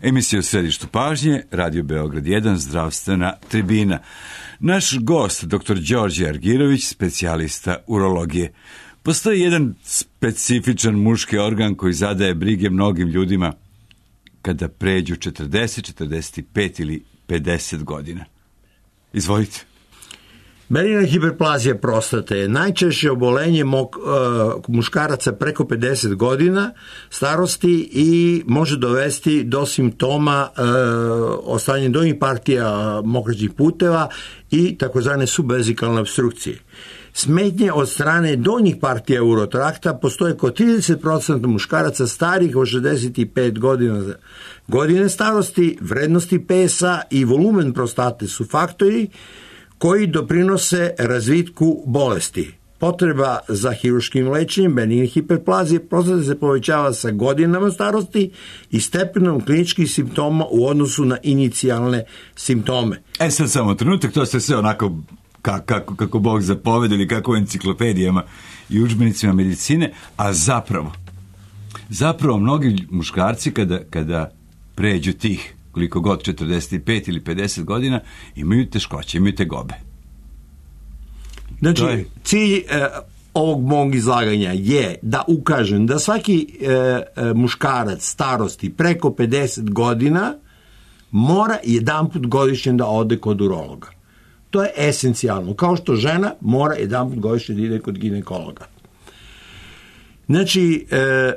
Emisija u središtu pažnje, Radio Beograd 1, zdravstvena tribina. Naš gost, dr. Đorđe Argirović, specijalista urologije. Postoji jedan specifičan muški organ koji zadaje brige mnogim ljudima kada pređu 40, 45 ili 50 godina. Izvolite. Benigna hiperplazija prostate je najčešće obolenje muškaraca preko 50 godina starosti i može dovesti do simptoma ostajanja donjih partija mokraćih puteva i takozvane subvezikalne obstrukcije. Smetnje od strane donjih partija urotrakta postoje kod 30% muškaraca starih od 65 godine starosti, vrednosti pesa i volumen prostate su faktori koji doprinose razvitku bolesti. Potreba za hirurškim lečenjem benigne hiperplazije prostate se povećava sa godinama starosti i stepenom kliničkih simptoma u odnosu na inicijalne simptome. Sad samo trenutak, to ste sve onako kako Bog zapovedi ili kako u enciklopedijama i udžbenicima medicine, a zapravo mnogi muškarci kada pređu tih koliko god 45 ili 50 godina imaju teškoće, imaju tegobe. Znači, cilj ovog mog izlaganja je da ukažem da svaki muškarac starosti preko 50 godina mora jedanput godišnje da ode kod urologa. To je esencijalno. Kao što žena mora jedanput godišnje da ide kod ginekologa. Znači,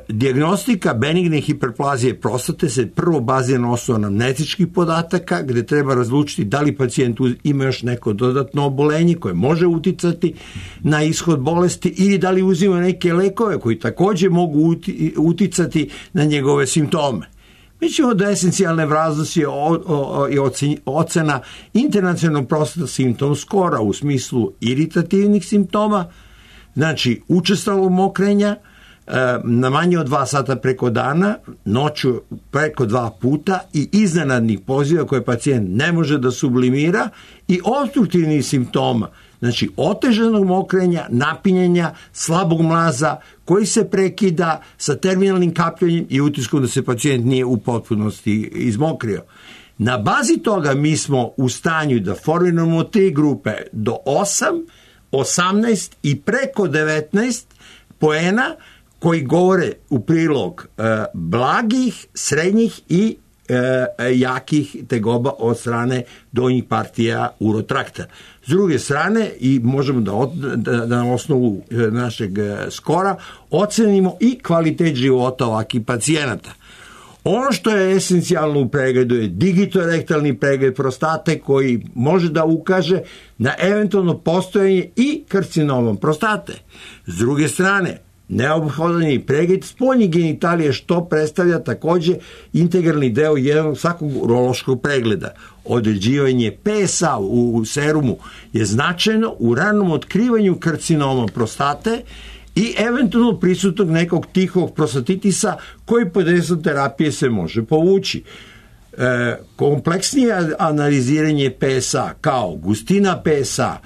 dijagnostika benigne hiperplazije prostate se prvo bazira na osnovu anamnetičkih podataka, gde treba razlučiti da li pacijent ima još neko dodatno obolenje koje može uticati na ishod bolesti ili da li uzima neke lekove koji također mogu uticati na njegove simptome. Mi ćemo da esencijalne vraznosti je ocena internacionalnog prostata symptom skora u smislu iritativnih simptoma, znači učestalog mokrenja, na manje od 2 sata preko dana, noću preko 2 puta i iznenadnih poziva koje pacijent ne može da sublimira i opstruktivnih simptoma, znači otežanog mokrenja, napinjenja, slabog mlaza koji se prekida sa terminalnim kapljenjem i utiskom da se pacijent nije u potpunosti izmokrio. Na bazi toga mi smo u stanju da formiramo 3 grupe do 8, 18 i preko 19 poena koji govore u prilog blagih, srednjih i jakih tegoba od strane donjih partija urotrakta. S druge strane, i možemo da na osnovu našeg skora ocenimo i kvalitet života ovakvih pacijenata. Ono što je esencijalno u pregledu je digitorektalni pregled prostate koji može da ukaže na eventualno postojanje i karcinomom prostate. S druge strane, neophodan je pregled spoljnih genitalija što predstavlja također integralni deo jednog svakog urološkog pregleda. Određivanje pesa u serumu je značajno u ranom otkrivanju karcinoma prostate i eventualno prisutnog nekog tihog prostatitisa koji pod dejstvom terapije se može povući. Kompleksnije analiziranje PSA kao gustina PSA,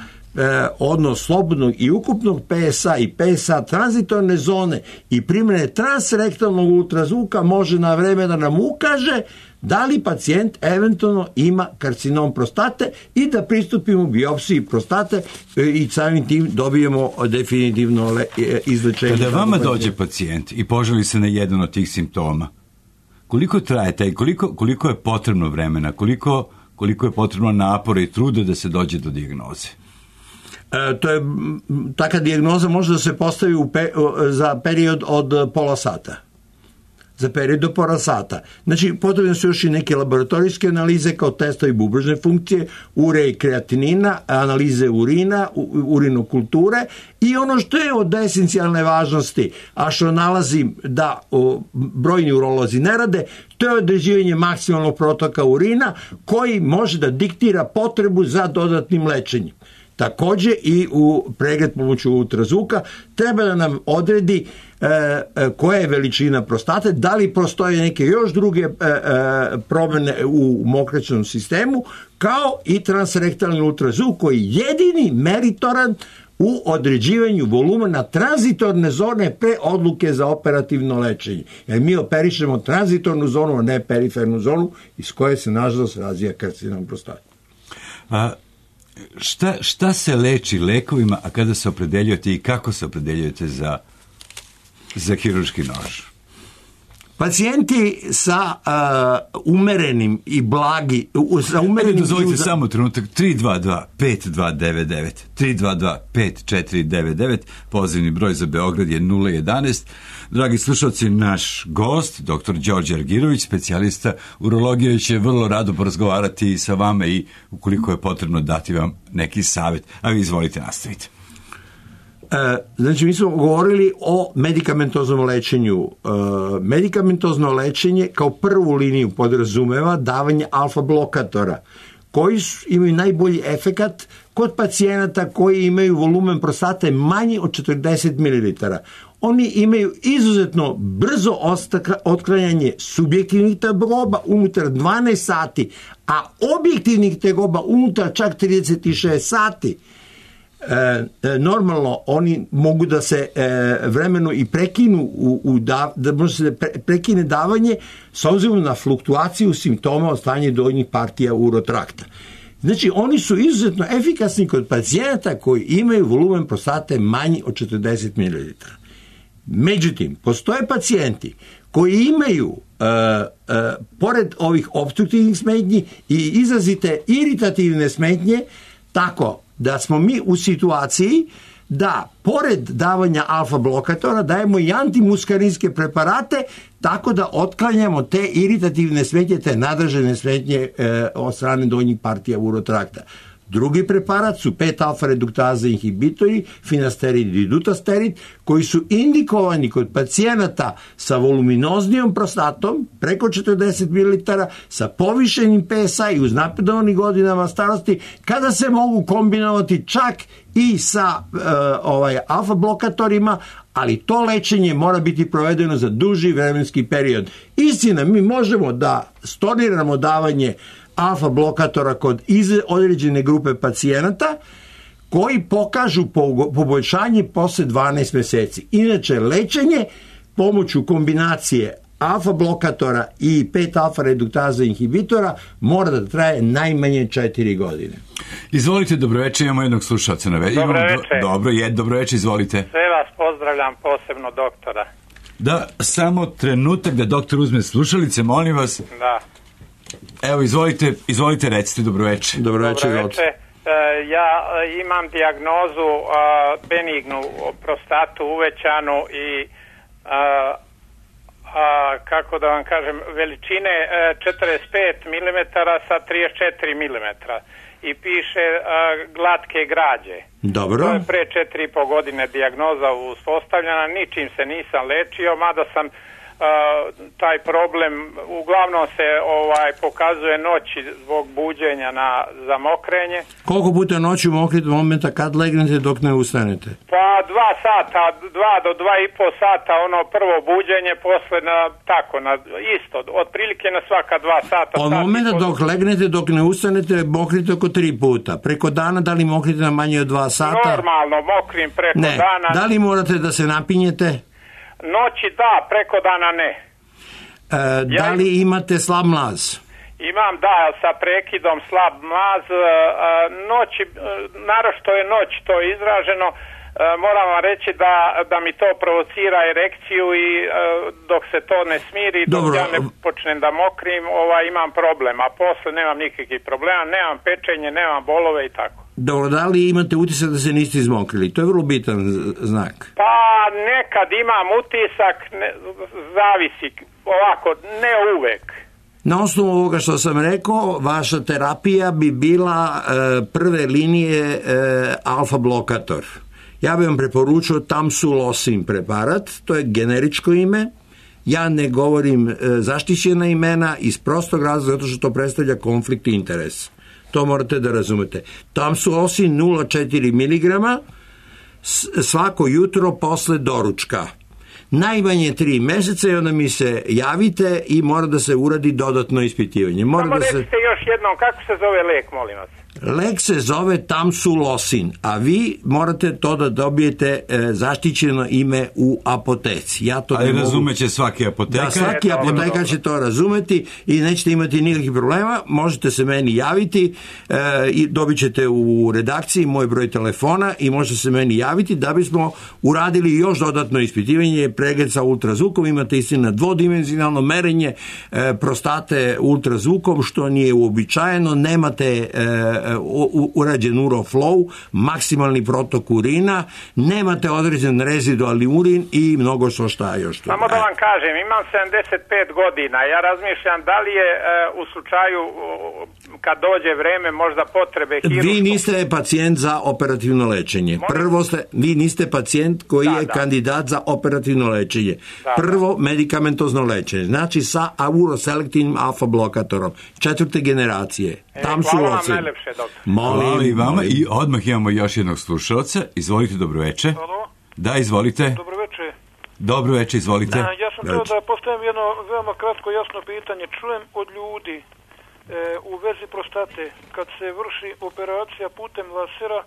odnos slobodnog i ukupnog PSA i PSA tranzitorne zone i primjene transrektalnog ultrazvuka može na vreme da nam ukaže da li pacijent eventualno ima karcinom prostate i da pristupimo biopsiji prostate i samim tim dobijemo definitivno izlečenje. Kada vama dođe pacijent i požali se na jedan od tih simptoma, koliko traje taj, koliko je potrebno vremena, koliko je potrebno napora i truda da se dođe do dijagnoze? Taka dijagnoza može da se postavi za period od pola sata. Za period do pola sata. Znači, potrebne su još i neke laboratorijske analize kao testovi bubrežne funkcije, ure i kreatinina, analize urina, urinokulture i ono što je od esencijalne važnosti, a što nalazim da brojni urolozi ne rade, to je određivanje maksimalnog protoka urina koji može da diktira potrebu za dodatnim lečenjem. Također i u pregled pomoću ultrazvuka treba da nam odredi koja je veličina prostate, da li postoje neke još druge promjene u mokraćnom sistemu, kao i transrektalni ultrazvuk koji je jedini meritoran u određivanju volumena tranzitorne zone pre odluke za operativno lečenje. Jer mi operišemo tranzitornu zonu, a ne perifernu zonu, iz koje se nažalost razvija karcinom prostate. Šta se leči lekovima, a kada se opredeljujete i kako se opredeljujete za hirurški nož? Pacijenti sa umerenim i blagi... Dozvolite samo trenutak. 322-5299. 322-5499. Pozivni broj za Beograd je 011. Dragi slušalci, naš gost, dr. Đorđe Argirović, specijalista urologije, će vrlo rado porazgovarati sa vama i ukoliko je potrebno dati vam neki savjet. A vi izvolite, nastavite. Znači, mi smo govorili o medikamentoznom lečenju. Medikamentozno lečenje kao prvu liniju podrazumeva davanje alfa blokatora, koji imaju najbolji efekat kod pacijenata koji imaju volumen prostate manji od 40 ml. Oni imaju izuzetno brzo otklanjanje subjektivnih tegoba unutar 12 sati, a objektivnih tegoba unutar čak 36 sati. Normalno oni mogu da se vremeno i prekinu da može se prekine davanje s obzirom na fluktuaciju simptoma od stanja donjih partija urotrakta. Znači oni su izuzetno efikasni kod pacijenata koji imaju volumen prostate manji od 40 ml. Međutim, postoje pacijenti koji imaju pored ovih opstruktivnih smetnji i izrazite iritativne smetnje, tako da smo mi u situaciji da pored davanja alfa blokatora dajemo i antimuskarinske preparate tako da otklanjamo te iritativne smetnje, te nadražene smetnje od strane donjih partija urotrakta. Drugi preparat su 5-alfa reduktaza inhibitori, finasterid i dutasterid, koji su indikovani kod pacijenata sa voluminoznijom prostatom, preko 40 ml, sa povišenim PSA i uz napredovanih godinama starosti, kada se mogu kombinovati čak i sa alfa blokatorima, ali to lečenje mora biti provedeno za duži vremenski period. Istina, mi možemo da storniramo davanje alfa blokatora kod određene grupe pacijenata koji pokažu poboljšanje posle 12 meseci. Inače, lečenje pomoću kombinacije alfa blokatora i 5-alfa reduktaza inhibitora mora da traje najmanje 4 godine. Izvolite, dobroveče, imamo jednog slušalca na vezi. Dobroveče, izvolite. Sve vas pozdravljam, posebno doktora. Da, samo trenutak da doktor uzme slušalice, molim vas. Da. Evo, izvolite, recite, dobroveče. Dobroveče. Ja imam dijagnozu benignu prostatu uvećanu i kako da vam kažem, veličine 45 mm sa 34 mm i piše glatke građe. Dobro. To je pre 4,5 godine dijagnoza uspostavljena, ničim se nisam lečio, mada sam taj problem uglavnom se pokazuje noći zbog buđenja za mokrenje. Koliko puta noću mokrite momenta kad legnete dok ne ustanete? Pa 2 sata, 2 do 2,5 sata ono prvo buđenje, posle isto, otprilike na svaka 2 sata. Od momenta dok legnete dok ne ustanete mokrite oko 3 puta. Preko dana da li mokrite na manje od 2 sata? Normalno mokrim preko dana. Da li morate da se napinjete? Noći da, preko dana ne. Da li imate slab mlaz? Imam, da, sa prekidom slab mlaz. Noći, naročito je noć to izraženo. Moram vam reći da mi to provocira erekciju i dok se to ne smiri, dok ja ne počnem da mokrim, imam problem. A posle nemam nikakvih problema, nemam pečenje, nemam bolove i tako. Dobro, da li imate utisak da se niste izmokrili? To je vrlo bitan znak. Pa nekad imam utisak, zavisi, ovako, ne uvek. Na osnovu ovoga što sam rekao, vaša terapija bi bila prve linije alfa blokator. Ja bih vam preporučio Tamsulosin preparat, to je generičko ime. Ja ne govorim zaštićena imena iz prostog razloga zato što to predstavlja konflikt interesa. To morate da razumete. Tamsulosin 0,4 mg svako jutro posle doručka. Najmanje 3 meseca i onda mi se javite i mora da se uradi dodatno ispitivanje. Samo recite još jednom, kako se zove lek, molim vas? Lek se zove Tamsulosin, a vi morate to da dobijete zaštićeno ime u apoteci. Ja to ali razumeće svaki apotekar. Da, svaki apotekar će to razumeti i nećete imati nikakvih problema. Možete se meni javiti i dobit ćete u redakciji moj broj telefona i možete se meni javiti da bismo uradili još dodatno ispitivanje, pregled sa ultrazvukom. Imate istina dvodimenzionalno merenje prostate ultrazvukom, što nije uobičajeno. Nemate urađen uroflow, maksimalni protok urina, nemate određen rezidualni urin i mnogo što šta još. Samo da vam kažem, imam 75 godina, ja razmišljam da li je u slučaju kad dođe vreme možda potrebe hiruškog... Vi niste pacijent za operativno lečenje. Prvo vi niste pacijent koji je kandidat za operativno lečenje. Prvo medikamentozno lečenje, znači sa uroselektivnim alfa blokatorom 4. generacije. Hvala vam najlepše, doktor. Hvala i vama i odmah imamo još jednog slušalca. Izvolite, dobroveče. Halo? Da, izvolite. Dobroveče. Dobroveče, izvolite. Ja sam htio da postavim jedno veoma kratko jasno pitanje. Čujem od ljudi u vezi prostate, kad se vrši operacija putem lasera,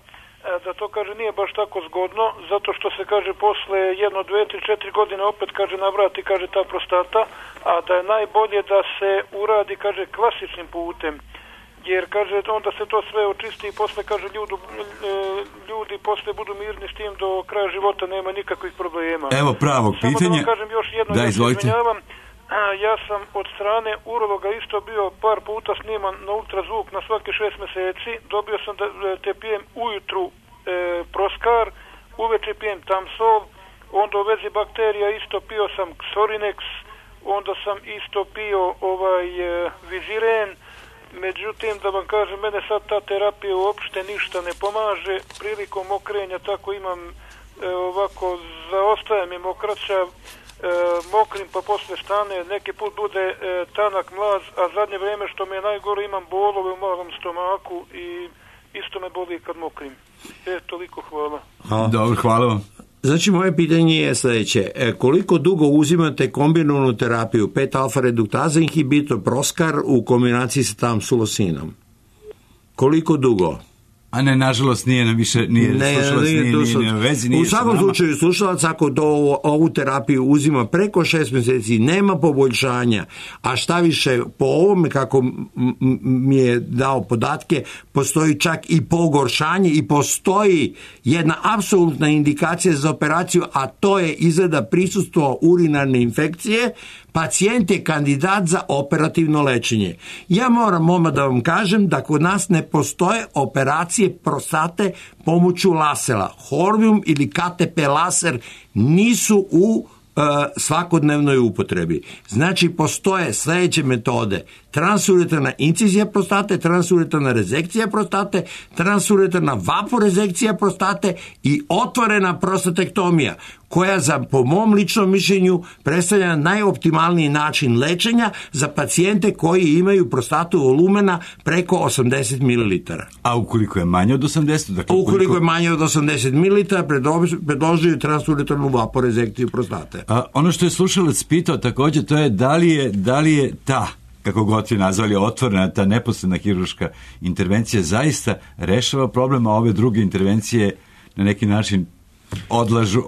da to kaže nije baš tako zgodno, zato što se kaže posle 1, 2, 3, 4 godine opet kaže navrati kaže ta prostata, a da je najbolje da se uradi kaže klasičnim putem. Jer kaže onda se to sve očisti i posle kaže ljudi posle budu mirni s tim do kraja života, nema nikakvih problema. Evo pravog pitanja. Samo da vam kažem još jedno, da, izvolite. Ja sam od strane urologa isto bio par puta sniman na ultrazvuk na svaki 6 meseci. Dobio sam da te pijem ujutru Proskar, uveče pijem Tamsol, onda u vezi bakterija isto pio sam Xorinex, onda sam isto pio Viziren. Međutim, da vam kažem, mene sad ta terapija uopšte ništa ne pomaže. Prilikom mokrenja tako imam ovako, zaostaje mi mokraća, mokrim pa posle stane, neki put bude tanak mlaz, a zadnje vrijeme što mi je najgore imam bolove u malom stomaku i isto me boli kad mokrim. Toliko, hvala. Dobro, hvala vam. Znači, moje pitanje je sljedeće. Koliko dugo uzimate kombinovanu terapiju 5-alfa reduktaza inhibitor Proskar u kombinaciji sa Tamsulosinom? Koliko dugo? A ne, nažalost, nije vezi. U svakom slučaju, slušalac, ako ovu terapiju uzima preko 6 mjeseci, nema poboljšanja, a šta više, po ovome, kako mi je dao podatke, postoji čak i pogoršanje i postoji jedna apsolutna indikacija za operaciju, a to je izgleda prisustvo urinarne infekcije, pacijent je kandidat za operativno lečenje. Ja moram odmah da vam kažem da kod nas ne postoje operacije prostate pomoću lasera. Horvium ili KTP laser nisu u svakodnevnoj upotrebi. Znači, postoje sljedeće metode: transuretarna incizija prostate, transuretarna rezekcija prostate, transuretarna vaporezekcija prostate i otvorena prostatektomija, koja po mom ličnom mišljenju predstavlja najoptimalniji način lečenja za pacijente koji imaju prostatu volumena preko 80 ml. A ukoliko je manje od 80? Dakle, ukoliko je manje od 80 ml, predložuju transuretarnu vaporezekciju prostate. Ono što je slušalac pitao također, to je da li je ta, kako god je nazvali, otvorena, ta neposredna hirurška intervencija zaista rešava problem, a ove druge intervencije na neki način odlažu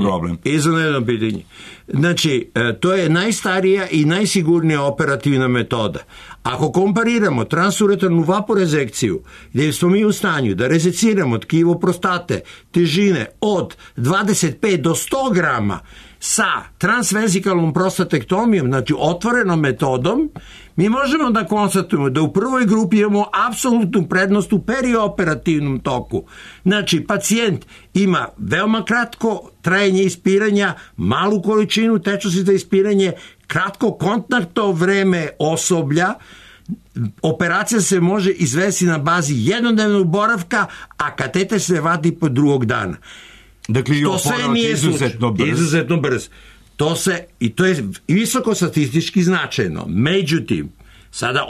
problem. Izvanredno pitanje. Znači, to je najstarija i najsigurnija operativna metoda. Ako kompariramo transuretarnu vaporezekciju, gdje smo mi u stanju da rezeciramo tkivo prostate težine od 25 do 100 grama sa transvezikalnom prostatektomijom, znači otvorenom metodom, mi možemo da konstatujemo da u prvoj grupi imamo apsolutnu prednost u perioperativnom toku. Znači, pacijent ima veoma kratko trajanje ispiranja, malu količinu tečnosti za ispiranje, kratko kontaktno vreme osoblja, operacija se može izvesti na bazi jednodnevnog boravka, a kateter se vadi po drugog dana. Dakle, to sve nije izuzetno brz. To je visoko statistički značajno. Međutim, sada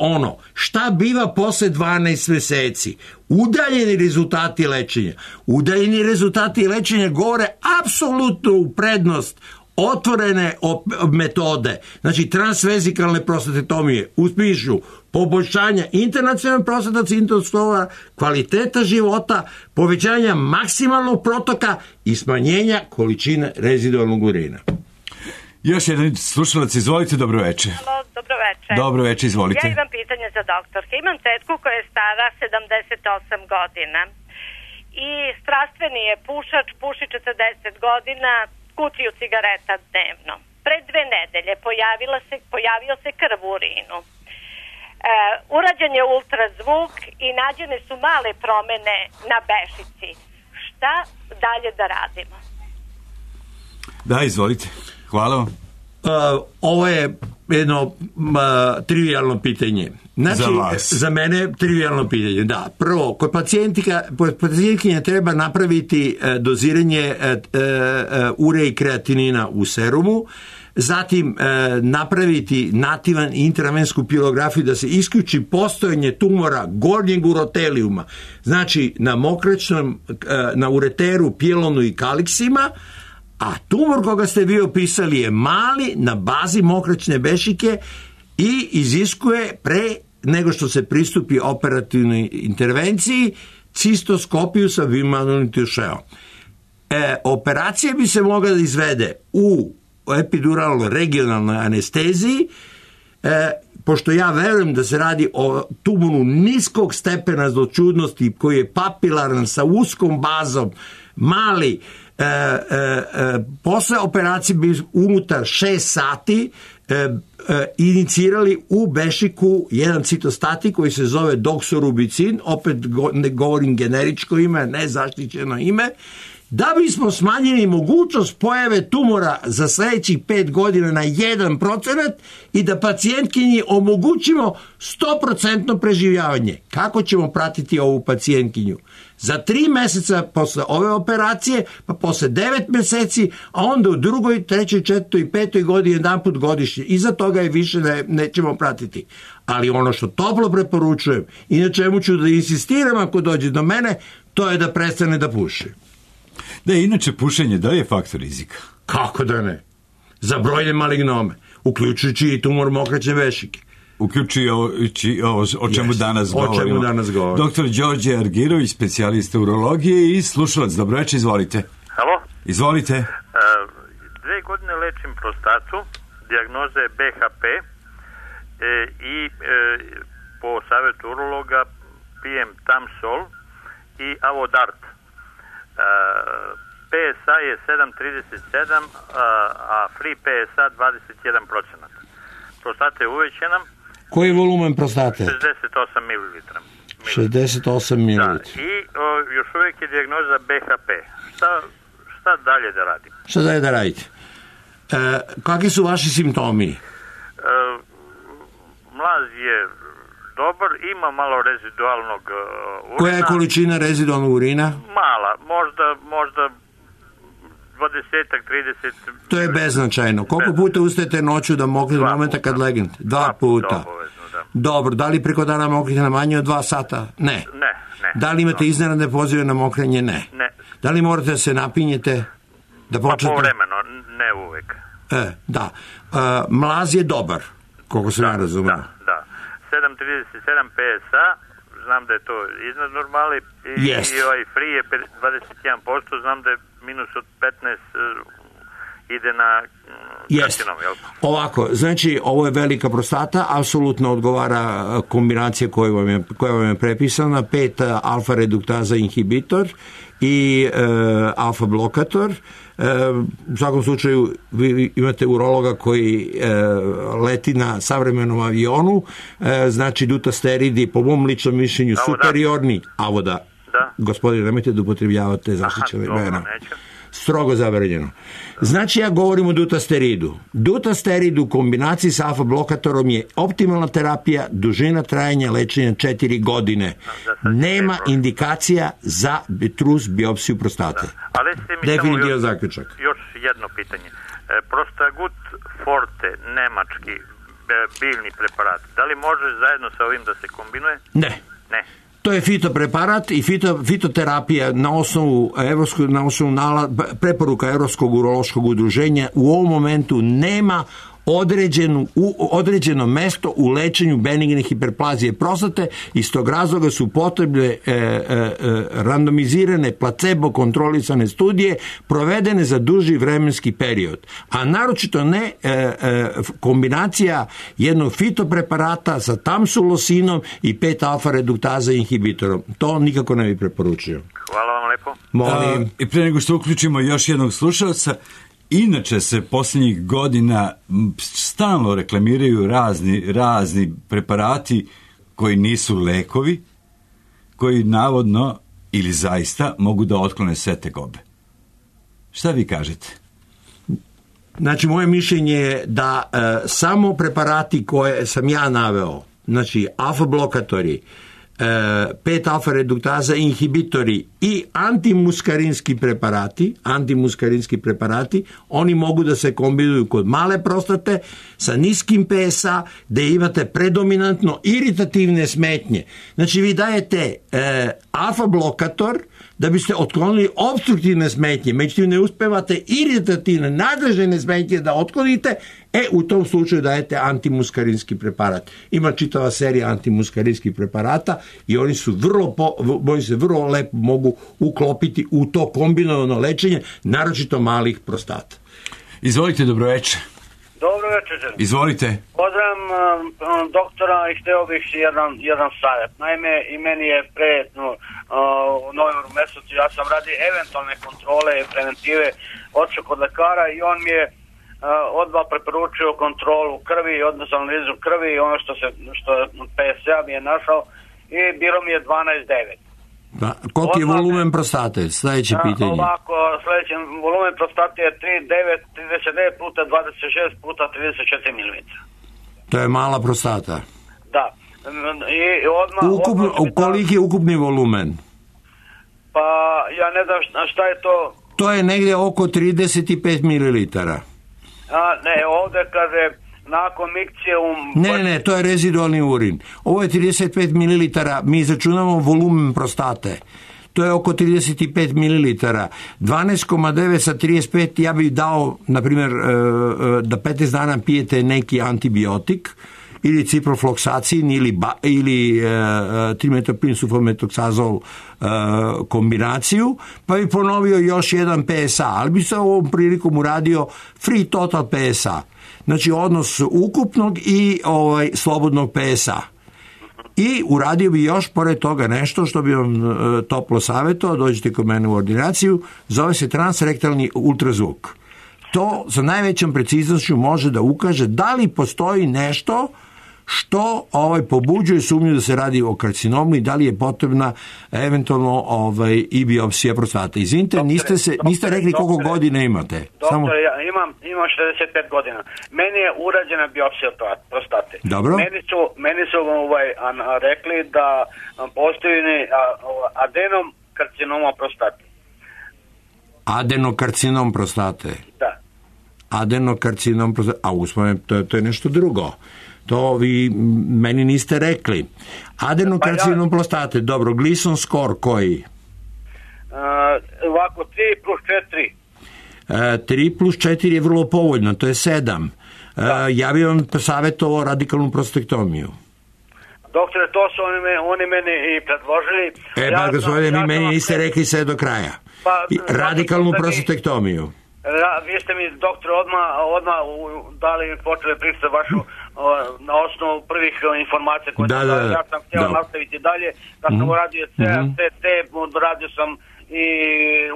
šta biva posle 12 mjeseci? Udaljeni rezultati lečenja. Udaljeni rezultati lečenja govore apsolutno u prednost otvorene metode, znači transvezikalne prostatektomije, uspišu poboljšanja internacionalnog prostata cintoskova, kvaliteta života, povećanja maksimalnog protoka i smanjenja količine rezidualnog urina. Još jedan slušalac, izvolite, dobro večer. Halo, dobro večer. Dobro večer, izvolite. Ja imam pitanje za doktorke. Imam tetku koja je stara 78 godina i strastveni je pušač, puši 40 godina, kutiju cigareta dnevno. Pre 2 nedelje pojavio se krv u urinu. Urađen je ultrazvuk i nađene su male promene na bešici. Šta dalje da radimo? Da, izvolite. Hvala vam. Ovo je jedno trivialno pitanje. Znači, za vas. Za mene trivialno pitanje, da. Prvo, kod pacijentkinja treba napraviti doziranje ure i kreatinina u serumu, zatim napraviti nativan intravensku pilografiju da se isključi postojanje tumora gornjeg urotelijuma, znači na mokraćnom, na ureteru, pjelonu i kaliksima, a tumor koga ste vi opisali je mali na bazi mokraćne bešike i iziskuje pre nego što se pristupi operativnoj intervenciji cistoskopiju sa bimagnetiošeom. Operacija bi se mogla da izvede u epiduralnoj regionalnoj anesteziji, pošto ja verujem da se radi o tumoru niskog stepena zloćudnosti koji je papilaran sa uskom bazom, mali, posle operacije bi unutar 6 sati inicirali u bešiku jedan citostatik koji se zove doksorubicin, opet ne govorim generičko ime, ne zaštićeno ime, da bismo smanjili mogućnost pojave tumora za sljedećih 5 godina na 1% i da pacijentkinji omogućimo 100% preživljavanje. Kako ćemo pratiti ovu pacijentkinju? Za 3 mjeseca posle ove operacije, pa posle 9 mjeseci, a onda u 2., 3., 4. i 5. godini jedanput godišnje. Iza toga je više nećemo pratiti. Ali ono što toplo preporučujem i na čemu ću da insistiram ako dođe do mene, to je da prestane da puši. Da, inače pušenje, da li je faktor rizika? Kako da ne? Za brojne malignome, uključujući i tumor mokraćne bešike. Uključujući ovo o čemu danas govorimo. Doktor Đorđe Argirović, specijalista urologije i slušalac. Dobro večer, izvolite. Halo? Izvolite. 2 godine lečim prostatu, dijagnoza je BHP i po savjetu urologa pijem Tamsol i Avodart. PSA je 7,37, a free PSA 21%. Prostata je uvećena. Koji je volumen prostate? 68 ml. 68 ml. Da, i još uvijek je dijagnoza BHP. Šta dalje da radim? Šta dalje da radite? Kakvi su vaši simptomi? Mlaz je dobar, ima malo rezidualnog urina. Koja je količina rezidualnog urina? Mala, možda 20-30. To je beznačajno. Koliko puta ustajete noću da mokrite do momenta kad legnete? 2 puta. Obavezno, da. Dobro, da li preko dana mokrite na manje od 2 sata? Ne. Da li imate iznenadne pozive na mokrenje? Ne. Da li morate da se napinjete? Da počnete? Pa povremeno, ne uvek. Da. Mlaz je dobar, koliko sam ja razumio. Da. 7,37 PSA, znam da je to iznad normali i ovaj free je 21%, znam da je minus od 15 ide na karcinom, jel? Ovako, znači ovo je velika prostata, apsolutno odgovara kombinacija koja vam je prepisana, 5 alfa reduktaza inhibitor i alfa blokator. U svakom slučaju vi imate urologa koji leti na savremenom avionu, znači dutasteridi po mom ličnom mišljenju superiorni avoda. Gospodine, nemojte da upotrebljavate zaštićene imena. Strogo zabranjeno. Znači ja govorim o dutasteridu. Dutasterid u kombinaciji sa alfa blokatorom je optimalna terapija, dužina trajanja lečenja 4 godine. Nema indikacija za trus biopsiju prostate. Definitivno zaključak. Još jedno pitanje. Prostagut Forte, nemački biljni preparat, da li može zajedno sa ovim da se kombinuje? Ne. To je fitopreparat i fitoterapija na osnovu preporuka Evropskog urološkog udruženja u ovom momentu nema određeno mesto u lečenju benigne hiperplazije prostate. Iz tog razloga su potrebne randomizirane placebo kontrolisane studije provedene za duži vremenski period, a naročito ne kombinacija jednog fitopreparata sa tamsulosinom i 5-alfa reduktaza inhibitorom. To nikako ne bi preporučio. Hvala vam lepo. Molim. I pre nego što uključimo još jednog slušalca, inače se posljednjih godina stalno reklamiraju razni preparati koji nisu lekovi, koji navodno ili zaista mogu da otklone sve tegobe. Šta vi kažete? Znači, moje mišljenje je da samo preparati koje sam ja naveo, znači alfa blokatori, 5-alfa reduktaza inhibitori i antimuskarinski preparati, oni mogu da se kombinuju kod male prostate sa niskim PSA, gde imate predominantno iritativne smetnje. Znači, vi dajete alfa blokator da biste otklonili obstruktivne smetnje, međutim ne uspevate iritativne, nadležne smetnje da otklonite, u tom slučaju dajete antimuskarinski preparat. Ima čitava serija antimuskarinskih preparata i oni se vrlo lepo mogu uklopiti u to kombinovano lečenje, naročito malih prostata. Izvolite, dobroveče. Dobro večer. Izvolite. Pozdravim doktora i hteo bih jedan savjet. Naime, i meni je u novembru mesecu, ja sam radi eventualne kontrole i preventive otišao kod lekara i on mi je odmah preporučio kontrolu krvi, odnosno analizu krvi i ono što PSA mi je našao i bilo mi je 12,9. Koliki je volumen prostate? Sljedeće pitanje. Ovako, sljedeći volumen prostate je 39 puta 26 puta 34 mm. To je mala prostata. Da. I koliki je ukupni volumen? Pa, ja ne znam šta je to. To je negdje oko 35 mililitara. Ne, ovdje kaže nakon mikcije Ne, to je rezidualni urin. Ovo je 35 mililitara, mi izračunamo volumen prostate. To je oko 35 mililitara. 12,9 sa 35, ja bih dao, na primjer, da 15 dana pijete neki antibiotik, ili ciprofloksacin, ili trimetoprim sulfametoksazol kombinaciju, pa bi ponovio još jedan PSA, ali bi se ovom prilikom uradio free total PSA. Znači odnos ukupnog i slobodnog PSA. I uradio bi još pored toga nešto što bi vam toplo savjetovao, dođete kod mene u ordinaciju, zove se transrektalni ultrazvuk. To sa najvećom preciznošću može da ukaže da li postoji nešto što pobuđuje sumnju da se radi o karcinomu i da li je potrebna eventualno i biopsija prostate. Izvinite, niste rekli koliko godina imate. Doktore, ja imam 65 godina. Meni je urađena biopsija prostate. Dobro. Meni su rekli da postoji adenom karcinoma prostate. Adenokarcinom prostate? Da. Adenokarcinom prostate, a uspomenu, to je nešto drugo. To vi meni niste rekli. Adenokarcinom prostate, dobro, Gleason score koji? Ovako, 3 plus 4. 3 plus 4 je vrlo povoljno, to je 7. Ja bih vam savjetovao radikalnu prostektomiju. Doktore, to su oni meni i predložili. Gospodine, vi meni niste rekli sve do kraja. Radikalnu prostektomiju. Vi ste mi, doktor, odmah dali mi počeli pričati vašu na osnovu prvih informacija koje ja sam htio nastaviti dalje. Da sam uradio CT, radio sam i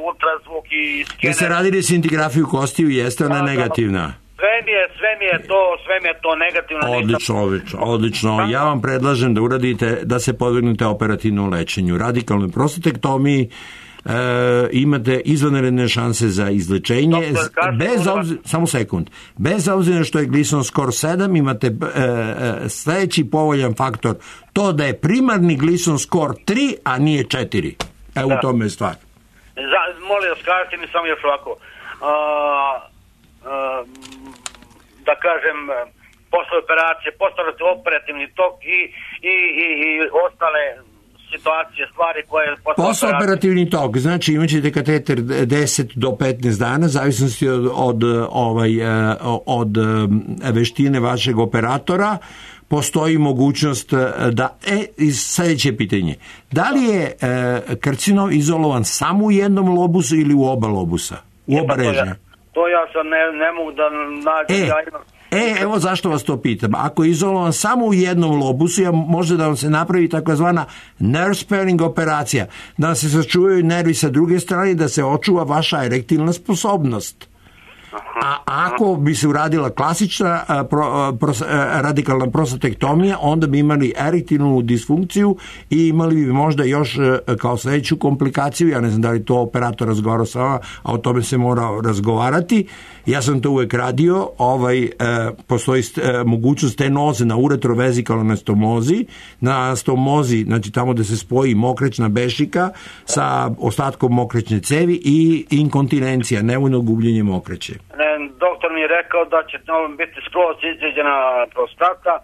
ultrazvuk i skener. Jeste radili scintigrafiju kostiju, jeste ona negativna? Sve mi je to negativno. Odlično. Ja vam predlažem da uradite, da se podvrgnete operativnom lečenju. Radikalnoj prostatektomiji, imate izvanredne šanse za izlečenje. Bez obzira što je Gleason score 7, imate sljedeći povoljan faktor, to da je primarni Gleason score 3, a nije 4. U tome je stvar. Molim vas, kažete mi samo još ovako, da kažem, posle operacije, posle operativni tok i ostale situacije, stvari koje... Postoperativni tok, znači imat ćete kateter 10 do 15 dana, zavisnosti od veštine vašeg operatora. Postoji mogućnost da... Sljedeće pitanje. Da li je karcinom izolovan samo u jednom lobusu ili u oba lobusa? U oba režnja? To ja sad ne mogu da nađem. Evo zašto vas to pitam. Ako je izolovan samo u jednom lobusu, može da vam se napravi takozvana nerve sparing operacija, da se sačuvaju nervi sa druge strane, da se očuva vaša erektilna sposobnost. A ako bi se uradila klasična radikalna prostatektomija, onda bi imali erektilnu disfunkciju i imali bi možda još kao sljedeću komplikaciju, ja ne znam da li to operator razgovara sa vama, a o tome se mora razgovarati. Ja sam to uvek radio, postoji mogućnost stenoze na uretrovezikalnoj stomozi, na stomozi, znači tamo da se spoji mokraćna bešika sa ostatkom mokraćne cevi i inkontinencija, nevoljno gubljenje mokraće. Doktor mi je rekao da će biti skroz izđeđena prostata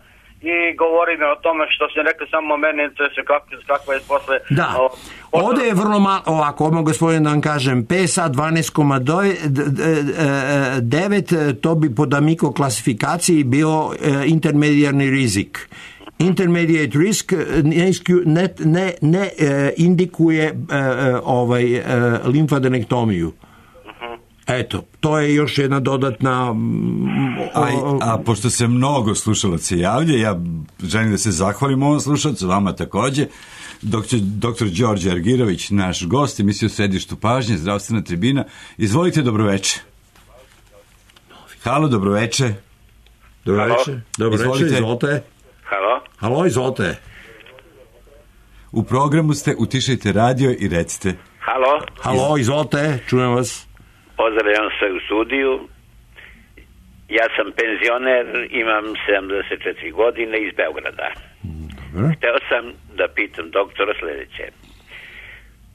i govori mi o tome što se rekao, samo mene interesuje kakva je posle... Da, ovdje je vrlo malo, ovako, odmah gospodin da vam kažem, PSA 12,9, to bi po D'Amico klasifikaciji bio intermedijarni rizik. Intermediate risk ne indikuje limfadenektomiju. Eto, to je još jedna dodatna... A pošto se mnogo slušalaca javlja, ja želim da se zahvalim ovom slušalcu, vama također. Dr. Đorđe Argirović, naš gost, emisiju Središtu pažnje, zdravstvena tribina. Izvolite, dobroveče. Halo, dobroveče. Dobroveče, izvolite. Halo, izvolite. U programu ste, utišajte radio i recite. Halo, izvolite, čujem vas. Pozdravljam se u studiju. Ja sam penzioner, imam 74 godine iz Beograda. Hteo sam da pitam doktora sljedeće.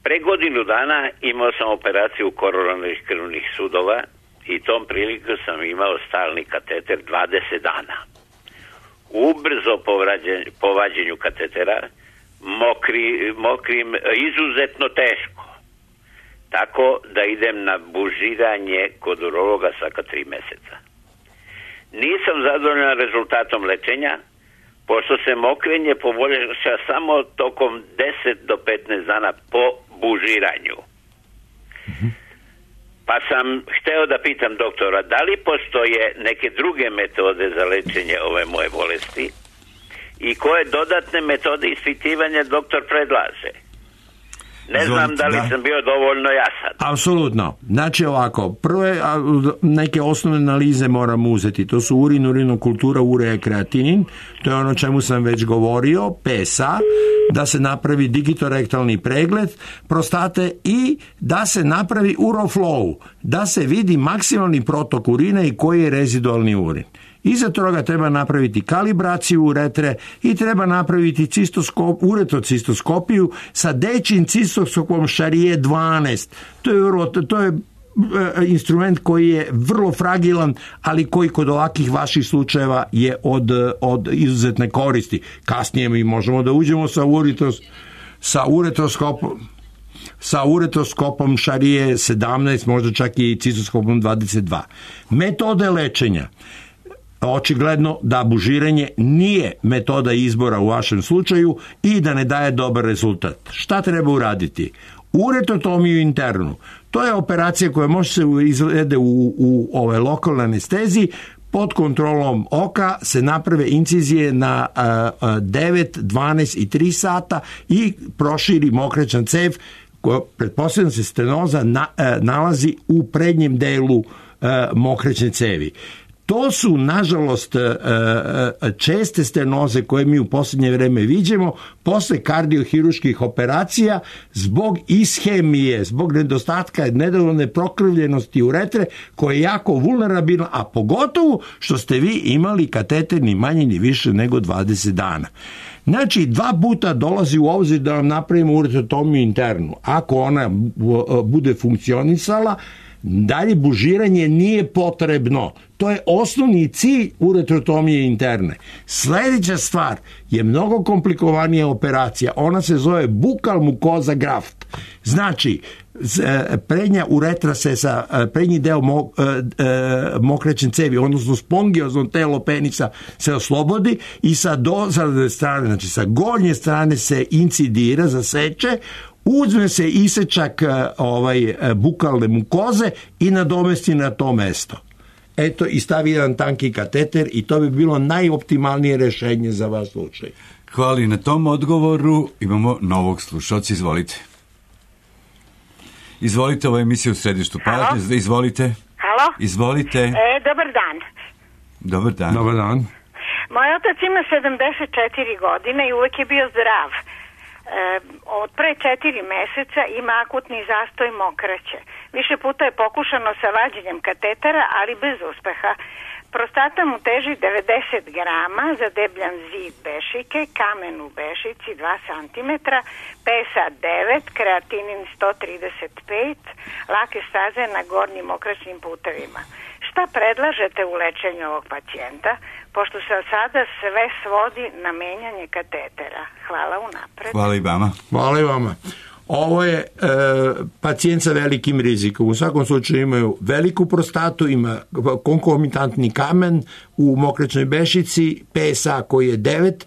Pre godinu dana imao sam operaciju koronarnih krvnih sudova i tom priliku sam imao stalni kateter 20 dana. Ubrzo po vađenju katetera, mokrim, izuzetno teško. Tako da idem na bužiranje kod urologa svaka 3 meseca. Nisam zadovoljan rezultatom lečenja, pošto se mokrenje poboljša samo tokom 10 do 15 dana po bužiranju. Pa sam hteo da pitam doktora, da li postoje neke druge metode za lečenje ove moje bolesti i koje dodatne metode ispitivanja doktor predlaže? Ne znam da li sam bio dovoljno jasan. Apsolutno. Znači ovako, prve neke osnovne analize moramo uzeti. To su urin, urinokultura, urea i kreatinin. To je ono o čemu sam već govorio. PSA, da se napravi digitorektalni pregled prostate i da se napravi uroflow, da se vidi maksimalni protok urina i koji je rezidualni urin. Iza toga treba napraviti kalibraciju uretre i treba napraviti uretrocistoskopiju sa dečjim cistoskopom Charrier 12. To je instrument koji je vrlo fragilan, ali koji kod ovakvih vaših slučajeva je od izuzetne koristi. Kasnije mi možemo da uđemo sa uretroskopom Charrier 17, možda čak i cistoskopom 22. Metode lečenja. Očigledno da bužiranje nije metoda izbora u vašem slučaju i da ne daje dobar rezultat. Šta treba uraditi? Uretrotomiju internu. To je operacija koja može se izvede u lokalnoj anesteziji. Pod kontrolom oka se naprave incizije na 9, 12 i 3 sata i proširi mokraćna cev koja pretpostavljam se stenoza nalazi u prednjem delu mokraćne cevi. To su, nažalost, česte stenoze koje mi u posljednje vreme viđemo posle kardiohiruških operacija zbog ishemije, zbog nedostatka nedovoljne prokrvljenosti uretre koja je jako vulnerabilna, a pogotovo što ste vi imali kateter ni manje ni više nego 20 dana. Znači, 2 puta dolazi u obzir da vam napravimo uretrotomiju internu. Ako ona bude funkcionisala, dalje bužiranje nije potrebno. To je osnovni cilj uretrotomije interne. Sljedeća stvar je mnogo komplikovanija operacija. Ona se zove bukal mukoza graft. Znači, prednja uretra se sa prednji deo mokraćen cevi, odnosno spongiozno telo penisa se oslobodi i sa dozadne strane, znači sa gornje strane se incidira, zaseče, uzme se isečak bukalne mukoze i nadomesti na to mesto. Eto, i stavi jedan tanki kateter i to bi bilo najoptimalnije rješenje za vaš slučaj. Hvala na tom odgovoru. Imamo novog slušalca, izvolite. Izvolite, ovo je emisija u središtu pažnje. Izvolite. Halo? Izvolite. Dobar dan. Dobar dan. Dobar dan. Moj otac ima 74 godine i uvek je bio zdrav. Od pre 4 meseca ima akutni zastoj mokraće. Više puta je pokušano sa vađenjem katetera, ali bez uspeha. Prostata mu teži 90 grama, zadebljan zid bešike, kamen u bešici 2 cm, pesa 9, kreatinin 135, lake staze na gornjim mokraćnim putevima. Šta predlažete u lečenju ovog pacijenta, pošto se od sada sve svodi na menjanje katetera? Hvala unapred. Hvala i vama. Hvala i vama. Ovo je pacijent sa velikim rizikom. U svakom slučaju imaju veliku prostatu, ima konkomitantni kamen u mokraćnoj bešici, PSA koji je 9,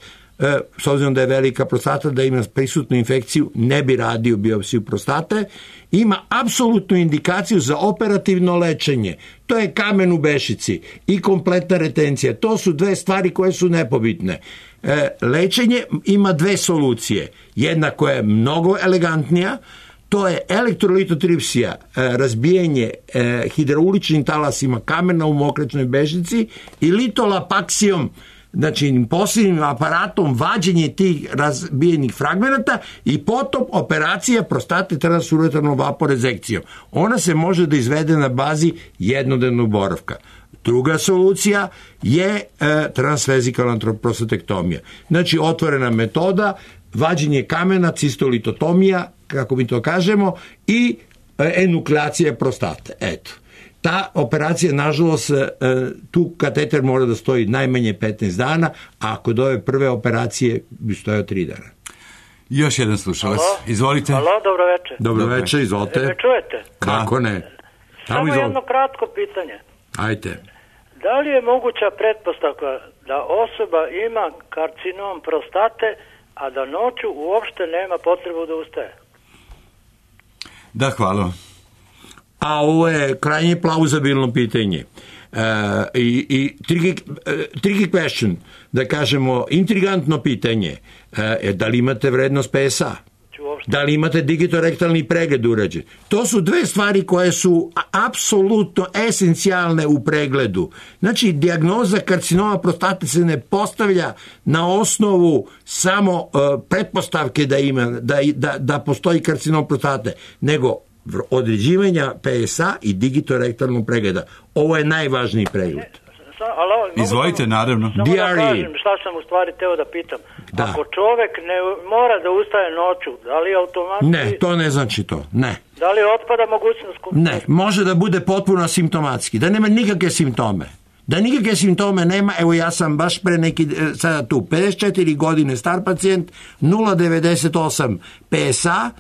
s obzirom da je velika prostata, da ima prisutnu infekciju, ne bi radio biopsiju prostate. Ima apsolutnu indikaciju za operativno lečenje. To je kamen u bešici i kompletna retencija. To su dve stvari koje su nepobitne. Lečenje ima 2 solucije. Jedna koja je mnogo elegantnija, to je elektrolitotripsija, razbijanje hidrauličnim talasima kamena u mokraćnoj bešici i litolapaksijom, znači posebnim aparatom vađenje tih razbijenih fragmenata i potom operacija prostate transuretarnom vaporezekcijom. Ona se može da izvede na bazi jednodnevnog boravka. Druga solucija je transvezikalna prostatektomija. Znači otvorena metoda, vađenje kamena, cistolitotomija, kako mi to kažemo, i enukleacija prostate. Eto. Ta operacija, nažalost, tu kateter mora da stoji najmanje 15 dana, a kod ove prve operacije bi stojao 3 dana. Još jedan slušalac. Izvolite. Halo, dobro večer. Dobro večer, izvolite. Me čujete? Kako ne? Samo jedno kratko pitanje. Ajde. Da li je moguća pretpostavka da osoba ima karcinom prostate, a da noću uopšte nema potrebu da ustaje? Da, hvala. A ovo je krajnje plauzabilno pitanje. I tricky question, da kažemo, intrigantno pitanje. Da li imate vrednost PSA? Da li imate digitorektalni pregled urađen? To su 2 stvari koje su apsolutno esencijalne u pregledu. Znači, dijagnoza karcinoma prostate se ne postavlja na osnovu samo pretpostavke da postoji karcinom prostate, nego određivanja PSA i digitorektalnog pregleda. Ovo je najvažniji pregled. Izvolite, naravno. Samo da kažem šta sam u stvari teo da pitam. Da. Ako čovek ne mora da ustaje noću, da li automatski... Ne, to ne znači to, ne. Da li otpada mogućnost... Ne, može da bude potpuno asimptomatski, da nema nikakve simptome. Da nikakve simptome nema, evo ja sam baš pre sada tu, 54 godine star pacijent, 0,98 PSA,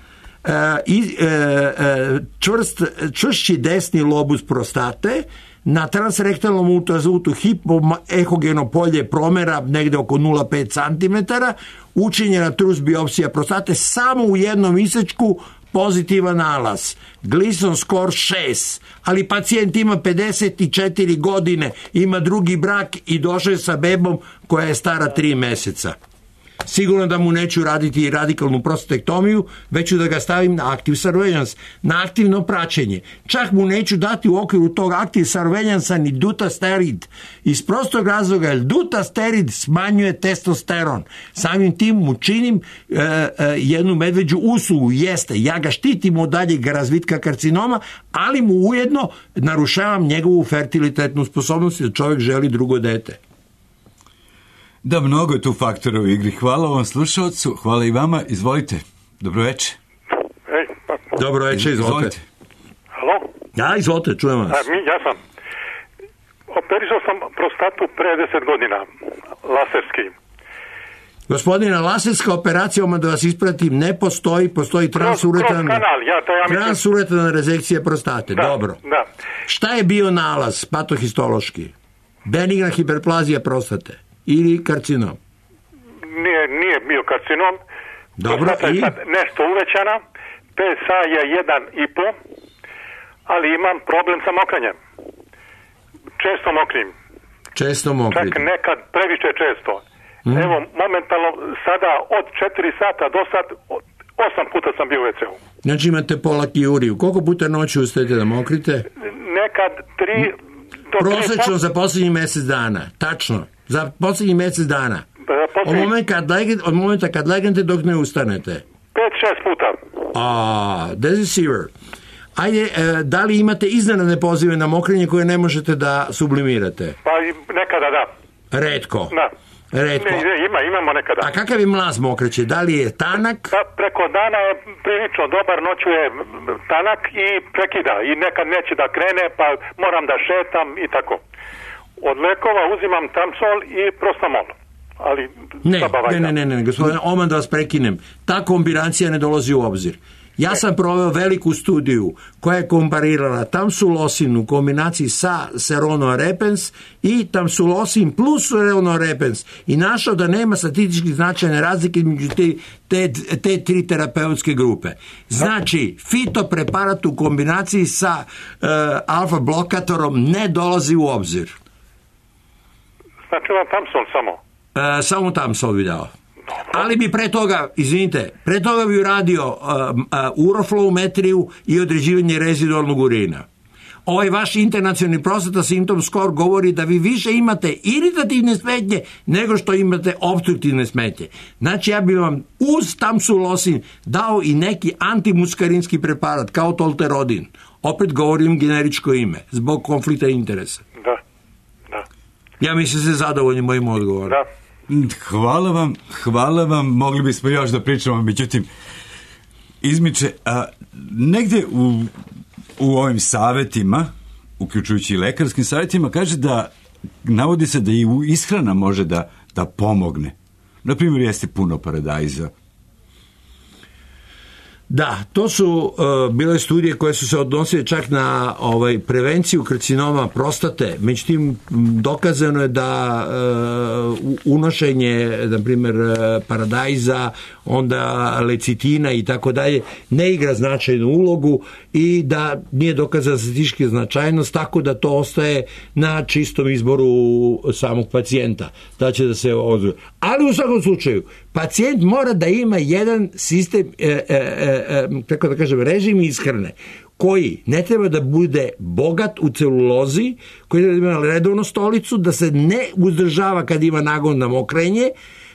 čvršći desni lobus prostate, na transrektalnom ultrazvuku hipoehogeno polje promera negde oko 0,5 cm, učinjena trus biopsija prostate, samo u jednom isečku pozitivan nalaz. Gleason score 6, ali pacijent ima 54 godine, ima drugi brak i došao je sa bebom koja je stara 3 meseca. Sigurno da mu neću raditi radikalnu prostatektomiju, već ću da ga stavim na active surveillance, na aktivno praćenje. Čak mu neću dati u okviru tog active surveillance ni dutasterid. Iz prostog razloga, jer dutasterid smanjuje testosteron. Samim tim mu činim jednu medveđu uslugu, jeste, ja ga štitim od daljeg razvitka karcinoma, ali mu ujedno narušavam njegovu fertilitetnu sposobnost da čovjek želi drugo dete. Da, mnogo je tu faktora u igri. Hvala ovom slušalcu, hvala i vama. Izvolite. Dobro večer. Dobro večer, izvolite. Halo? Ja, izvolite, čujem vas. Ja sam. Operisao sam prostatu pre 10 godina, laserski. Gospodina, laserska operacija, da vas ispratim, ne postoji transuretana rezekcija prostate. Da, dobro. Da. Šta je bio nalaz patohistološki? Benigna hiperplazija prostate ili karcinom? Nije bio karcinom. Dobro, prostata je sad nešto uvećana, PSA je 1,5, ali imam problem sa mokranjem. Često mokrim. Čak nekad previše često. Evo, momentalno sada od 4 sata do sad 8 puta sam bio u WC-u. Znači imate polakijuriju. Koliko puta noću ustajete da mokrite? Nekad 3 do 3. Prosečno za posljednjih mjesec dana. Tačno. Za posljednjih mjesec dana. Od momenta kad legnete dok ne ustanete. 5-6 puta. Deceiver. Ajde, da li imate iznenadne pozive na mokrenje koje ne možete da sublimirate? Pa nekada da. Retko. Da. Imamo nekada. A kakav je mlaz mokreće? Da li je tanak? Preko dana je prilično dobar, noću je tanak i prekida. I nekad neće da krene, pa moram da šetam i tako. Od lekova uzimam Tamsol i Prostamol. Ali ne, gospodine Oman, da vas prekinem. Ta kombinacija ne dolazi u obzir. Ja sam proveo veliku studiju koja je komparirala tamsulosin u kombinaciji sa Serono repens i tamsulosin plus Serono repens i našao da nema statistički značajne razlike između te tri terapeutske grupe. Znači, fitopreparat u kombinaciji sa alfa blokatorom ne dolazi u obzir. Znači vam Tamsol samo? Samo Tamsol bi dao. Ali bi pre toga bi uradio uroflowmetriju i određivanje rezidualnog urina. Ovaj vaš internacionalni prostata symptom score govori da vi više imate iritativne smetnje nego što imate opstruktivne smetnje. Znači ja bih vam uz tamsulosin dao i neki antimuskarinski preparat kao tolterodin. Opet govorim generičko ime, zbog konflikta interesa. Da. Ja mislim se zadovoljni mojim odgovorom. Da. Hvala vam, mogli bismo još da pričamo, međutim, izmiče, negde u ovim savjetima, uključujući i lekarskim savjetima, kaže da, navodi se da i ishrana može da pomogne. Naprimjer, jeste puno paradajza. Da, to su bile studije koje su se odnosile čak na prevenciju karcinoma prostate. Međutim, dokazano je da unošenje, na primjer, paradajza, onda lecitina i tako dalje, ne igra značajnu ulogu i da nije dokazana statistička značajnost, tako da to ostaje na čistom izboru samog pacijenta. Da će da se odvoji. Ali u svakom slučaju, pacijent mora da ima jedan sistem, kako da kažem, režim ishrane koji ne treba da bude bogat u celulozi, koji treba da ima redovnu stolicu, da se ne uzdržava kad ima nagon na mokrenje,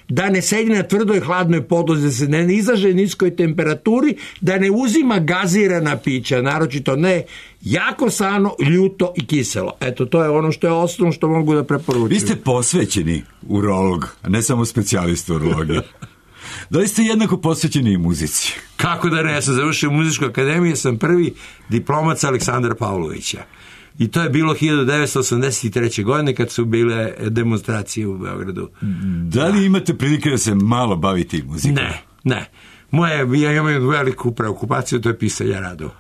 da ne sedi na tvrdoj hladnoj podlozi, da se ne izlaže niskoj temperaturi, da ne uzima gazirana pića, naročito ne jako sano, ljuto i kiselo. Eto, to je ono što je osnovno što mogu da preporučujem. Vi ste posvećeni urolog, a ne samo specijalista urologije. Da li ste jednako posvećeni i muzici? Kako da ne, ja sam završio muzičku akademiju, sam prvi diplomac Aleksandra Pavlovića. I to je bilo 1983. godine kad su bile demonstracije u Beogradu. Da li imate prilike da se malo bavite muzikom? Ne. Ja imam veliku preokupaciju, to je pisanje radova.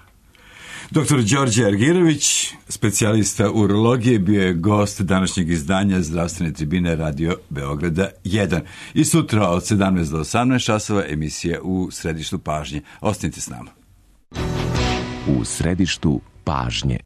Dr. Đorđe Argirović, specijalista urologije, bio je gost današnjeg izdanja Zdravstvene tribine Radio Beograda 1. I sutra od 17 do 18 časova emisija u Središtu pažnje. Ostanite s nama. U Središtu pažnje.